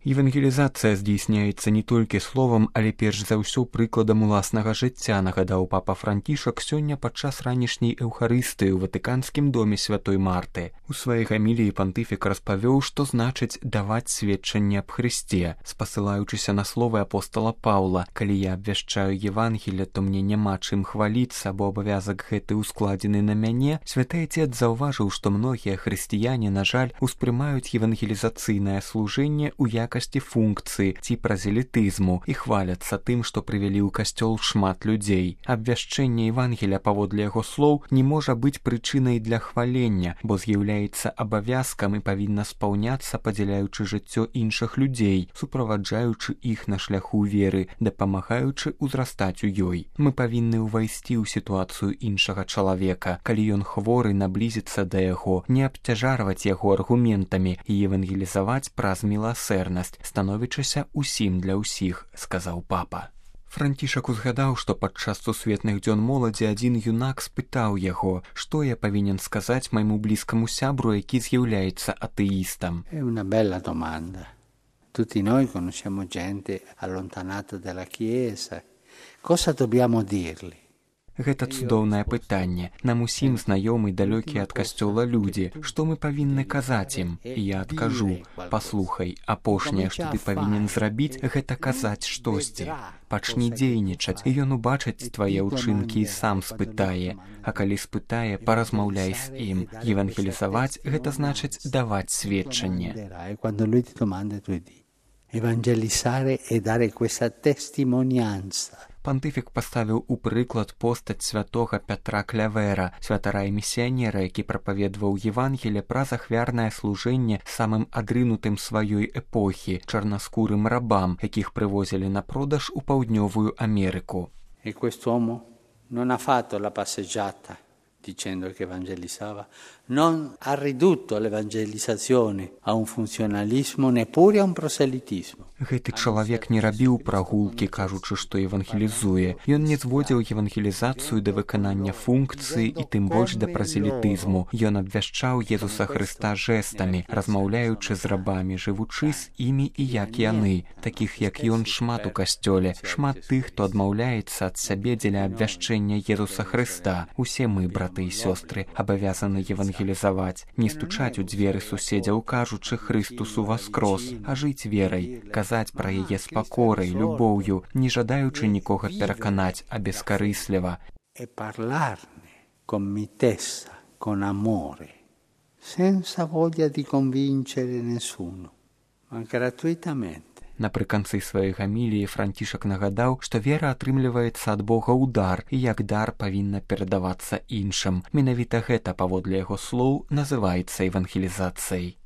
Евангелізацыя здзейсняецца не толькі словам, але перш за ўсё прыкладам уласнага жыцця, нагадаў папа Францішак сёння падчас ранішняй эўхарыстыі ў Ватыканскім доме святой Марты. У сваёй гаміліі пантыфік распавёў, што значыць даваць сведчанне аб Хрысце, спасылаючыся на словы апостала Паўла: «Калі я абвяшчаю Евангелие, то мне няма чым хваліцца, бо абавязак гэты ускладзены на мяне». Святы Отец заўважыў, што многія хрысціяне, на жаль, успрымаюць евангелізацыйнае служэнне ў якасці функцыі ці празелітызму і хваляцца тым, што прывялі ў касцёл шмат людзей. Абвяшчэнне Евангелія, паводле яго слоў, не можа быць прычынай для хвалення, бо з'яўляецца абавязкам і павінна спаўняцца, падзяляючы жыццё іншых людзей, суправаджаючы іх на шляху веры, дапамагаючы ўзрастаць у ёй. Мы павінны ўвайсці ў сітуацыю іншага чалавека. Калі ён хворы, наблізіцца да яго, не абцяжарваць яго аргументамі і евангелізаваць праз міласэрнасць, становячыся ўсім для ўсіх, сказаў папа. Францішак узгадаў, што падчас сусветных дзён моладзі адзін юнак спытаў яго, што я павінен сказаць майму блізкаму сябру, які з'яўляецца атэістам. È una bella domanda. Tutti noi conosciamo gente allontanata dalla Chiesa. Cosa dobbiamo dirgli? Гэта цудоўнае пытанне. Нам усім знаёмы далёкія ад касцёла людзі. Што мы павінны казаць ім? І я адкажу: паслухай, апошняе, што ты павінен зрабіць, гэта казаць штосьці. Пачні дзейнічаць, і ён убачыць твае ўчынкі і сам спытае. А калі спытае, паразмаўляй з ім. Евангелізаваць — гэта значыць даваць сведчанне. Evangelizzare e dare questa testimonianza. Пантыфік паставіў у прыклад постаць святога Пятра Клявера, святара і місіянера, які прапаведваў Евангелие праз ахвярнае служэнне самым адрынутым сваёй эпохі, чарнаскурым рабам, якіх прывозілі на продаж у Паўднёвую Америку. E quest'uomo non ha fatto la passeggiata dicendo che evangelizzava, non ha ridotto l'evangelizzazione a un funzionalismo, neppure a un proselitismo. Гэты чалавек не рабіў прагулкі, кажучы, што евангелізуе. Ён не зводзіў евангелізацыю да выканання функцыі і тым больш да празелітызму. Ён абвяшчаў Езуса Хрыста жэстамі, размаўляючы з рабамі, жывучы з імі і як яны. Такіх, як ён, шмат у касцёле, шмат тых, хто адмаўляецца ад сябе дзеля абвяшчэння Езуса Хрыста. Усе мы, браты і сёстры, абавязаны евангелізаваць, не стучаць у дзверы суседзяў, кажучы «Хрыстус уваскрос», а жыць верай, казаць пра яе з пакорай, любоўю, не жадаючы нікога пераканаць, а бескарысліва. E parlarne con mitezza, con amore, senza voglia di convincere nessuno, ma gratuitamente. Напрыканцы сваёй гаміліі Францішак нагадаў, што вера атрымліваецца ад Бога ў дар і як дар павінна перадавацца іншым. Менавіта гэта, паводле яго слоў, называецца евангелізацыяй.